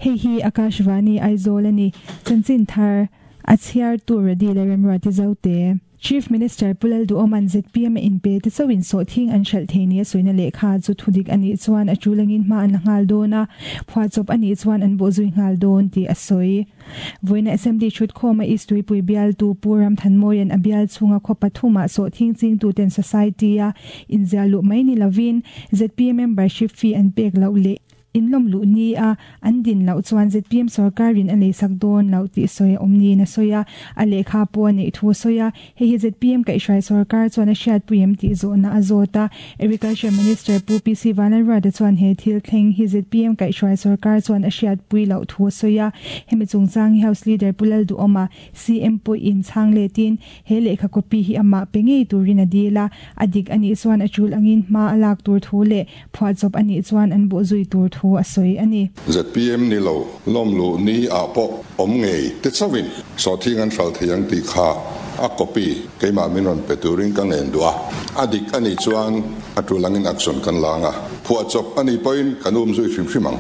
Hei hi Akashvani Aizawl a ni. Chanchin thar a chhiartu Radi leh Remruati Zote. Chief Minister Pu Lalduhawma'n zpm a inpe te chauhin sawhthing an hralh thei nia sawina lehkha chu thudik a nih chuan a tul angin hma an la nghal dawn a, phuahchawp a nih chuan an bawhzui nghal dawn tih a sawi. Vawiina Assembly thutkhawma East Tuipui bialtu Pu Ramthanmawia'n a bial chhunga khaw pathumah sawhthing chingtuten Society-a inziah luh mai ni lovin zpm membership fee an pek loh leh Inlawm luh ni a, an din loh chuan zpm sorkarin a leisak dawn loh tih sawi a awm niin a sawi a, a lehkha pawh a neih thu a sawi a. Hei hi zpm kaihhruai sorkar chuan a hriatpui em tih zawhna a zawt a. Agriculture Minister Pu PC Vanlalruata chuan he thil thleng hi zpm kaihhruai sorkar chuan a hriatpui loh thu a sawi a. Hemi chungchang hi House Leader Pu Lalduhawma, CM pawhin chhang letin he lehkha copy hi amah pe ngei turin a dil a, a dik a nih chuan a tul angin hma a lak tur thu leh Phuahchawp a nih chuan an bawh zui tur thu a sawi a ni. Zpm ni lo, lawm luh ni ah pawh awm ngei te chauhin sawhthing an hral thei ang tih kha a copy keimah min rawn pe turin ka ngen duh a, a dik a nih chuan a tul angin action kan la ang a, phuahchawp a nih pawhin kan um zui hrim hrim ang.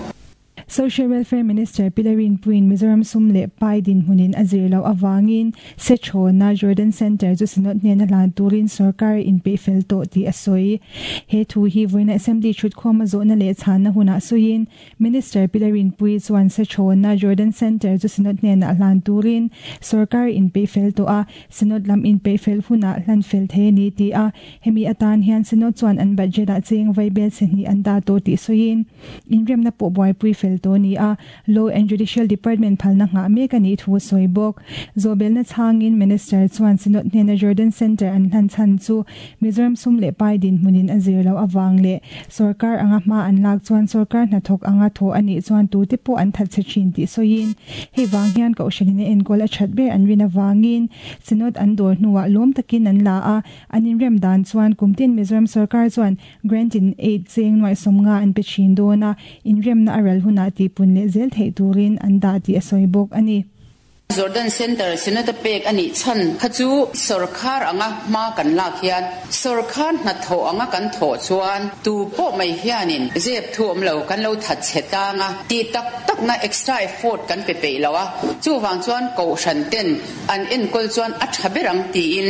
Social Welfare Minister Pi Rinpuiin Mizoram sum leh pai dinhmunin a zir loh avangin Sechhawna Jordan Centre chu Synod hnena hlan turin sorkar a inpeih fel tawh tih a sawi. He thu hi vawiina Assembly thutkhawma zawhna leh chhanna hunah sawiin Minister Pi Rinpuii chuan Sechhawna Jordan Centre chu Synod hnenah hlan turin sorkar a inpeih fel tawh a, Synod lam inpeih fel hunah hlan fel thei a ni ti a, hemi atan hian Synod chuan an budget-ah cheng vaibel chhe hnih an dah tawh tih sawiin, Inremna pawh buaipui fel tawh a ni a, Law and Judicial Department phalna nghah mek a nih thu a sawi bawk. Zawhbelna chhangin Minister chuan Synod hnena Jordan Centre an hlan chhan chu Mizoram sum leh pai dinhmunin a zir loh avang leh sorkar anga hma an lak chuan sorkar hnathawk anga thawh a nih chuan tute pawh an that chhe thin tih sawiin hei vang hian Kohhranin a enkawl a that ber an rin avangin Synod an dawr hnuah lawm takin an la a, an inrem dan chuan kumtin Mizoram sorkar chuan Grant in aid cheng nuaihsawm nga an pe thin dawn a, inremna a ral hunah tihpun leh zel theih turin an dah tih a sawi bawk a ni. Jordan Centre Synod a pek a nih chhan kha chu sawrkhar anga hma kan lak hian sawrkhar hnathawh anga kan thawh chuan tu pawh mai hianin zep thu awm lo kan lo that chhe tang a, tih tak takna extra effort kan pe peih lo a, chuvang chuan kohhran ten an enkawl chuan a tha ber ang tiin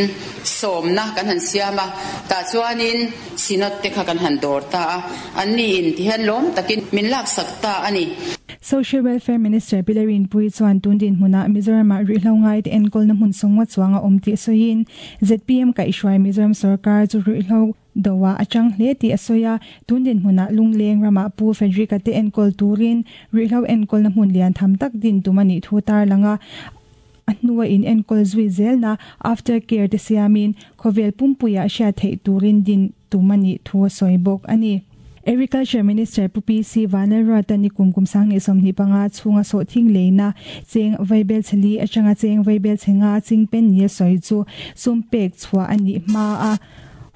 sawmna kan han siam a, tah chuanin Synod te kha kan han dawr ta a, anni in ti hian lawm takin min laksak ta a ni. Social Welfare Minister Pi Rinpuii chuan tun dinhmunah Mizoramah ruihhlo ngaite enkawlna hmun sawngwa chuang a awm tih sawiin, zpm kaihhruai Mizoram sorkar chu ruihhlo doah a chang hle tih a sawi a, tun dinhmunah Lungleng ramah Pu Frederick-a te enkawl turin ruihhlo enkawlna hmun lian tham tak din tum a nih thu tarlang a. A hnua in enkawl zui zelna after care te siamin khawvel pumpuiah hriat theih turin din tum a nih thu a sawi bawk a ni. Agriculture Minister Pu PC Vanlalruata ni kum kum 2025 chhunga sawhthing leina cheng vaibel chhe li atanga cheng vaibel chhe nga chingpen ni a sawi chu sum pek chhuah a nih hma a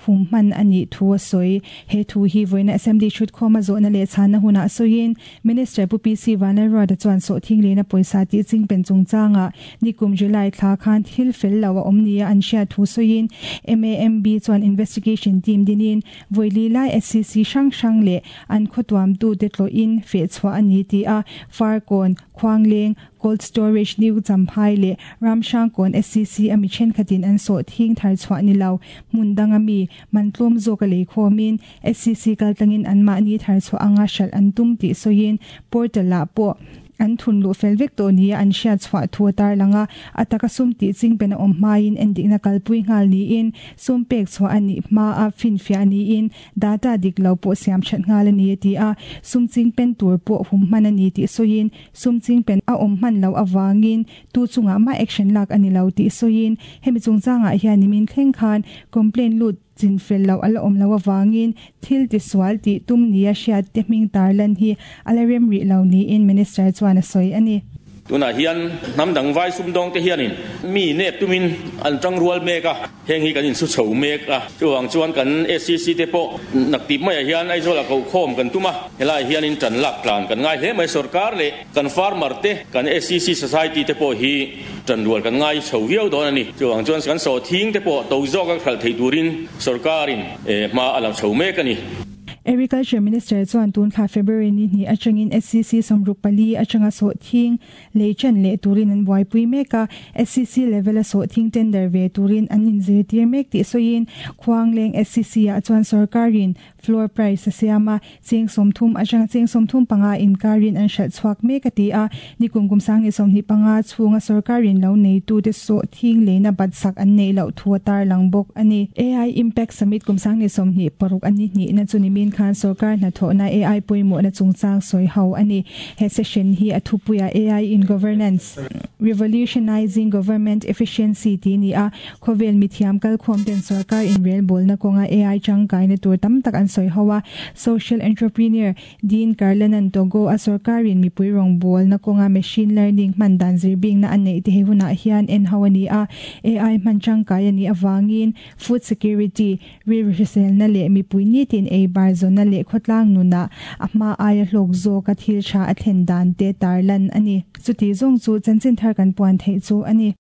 hum hman a nih thu a sawi. He thu hi vawiina Assembly thutkhawma zawhna leh chhanna hunah sawiin Minister Pu PC Vanlalruata chuan sawhthing lehna pawisa tih chingpen chungchangah nikum July thla khan thil fel lo a awm nia an hriat thu sawiin MAMB chuan investigation team dinin vawi lai SCC hrang hrang leh an khawtuamtute tlawhin fehchhuah a ni tih a Farkawn, Khuangleng, Cold Storage New Champhai leh Ramhrangkawn SCC a mi thenkhatin an sawhthing thar chhuah ni lo hmun danga mi man tlawm zawk a lei khawmin SCC kaltlangin anmahni thar chhuah anga hralh an tum tih sawiin portal-ah pawh an thun luh fel vek tawh nia an hriat chhuah thu a tarlang a, a taka sum tih chingpen a awm hmain endikna kalpui nghal niin sum pek chhuah a nih hmaa finfiah niin data dik lo pawh siam that nghal a ni a ti a, sum chingpen tur pawh hum hman a ni tih sawiin sum chingpen a awm hman loh avangin tu chungah mah action lak a ni lo tih sawiin hemi chungchangah hian nimin thleng khan complaint lut Chinfel loh a la awm loh avangin thil tisual tih tum nia hriat te hming tarlan hi a la rem rih lo niin Minister chuan a sawi a ni. Tunah hian hnam dang vai sumdawng te hianin mi nep tumin an tang rual mek a, heng hi kan insu chho mek a. Chuvang chuan kan SCC te pawh naktip maiah hian Aizawlah kohkhawm kan tum a, helaiah hianin tan lak tlan kan ngai hle mai. Sorkar leh kan farmer te, kan SCC society te pawh hi Ṭanrual kan ngai chho viau dawn a ni. Chuvang chuan kan sawhthing te pawh to zawka hralh thei turin sorkarin hma a la chho mek a ni. Agriculture Minister chuan tun thla February ni hnih atangin SCC 64 atanga sawhthing lei ṭan leh turin an buaipui mek a, SCC level a sawhthing tender ve turin an inzirtir mek tih sawiin Khuangleng SCC ah chuan sorkarin floor price a siam a, cheng 30 atanga cheng 35 inkarin an hralh chhuak mek a ti a, nikum kum 2025 chhunga sorkarin lo neitute sawhthing leina bat sak an neih loh thu a tarlang bawk a ni. AI Impact Summit kum 2026 a ni hnihna chu nimin khan sorkar hnathawhna AI pawimawhna chungchang sawi ho a ni. He session hi a thupuiah AI in Governance, Revolutionizing Government Efficiency tih ni a, khawvel mithiam kalkhawm ten sorkar inrelbawlna kawnga AI tangkaina tur tam tak an sawi ho a. Social entrepreneur Dean Karlanan Togo a sorkarin mipui rawngbawlna kawnga machine learning hman dan zirbingna a neih te he hunah hian en ho a ni a. AI hman tangkai a nih avangin food security, rilru hriselna leh mipui nitin ei bar zawnna leh khawtlang nunah a hma aia hlawk zawka thil tha a thlen dan te tarlan a ni. Chuti zawng chu chanchin thar kan puan theih chu a ni.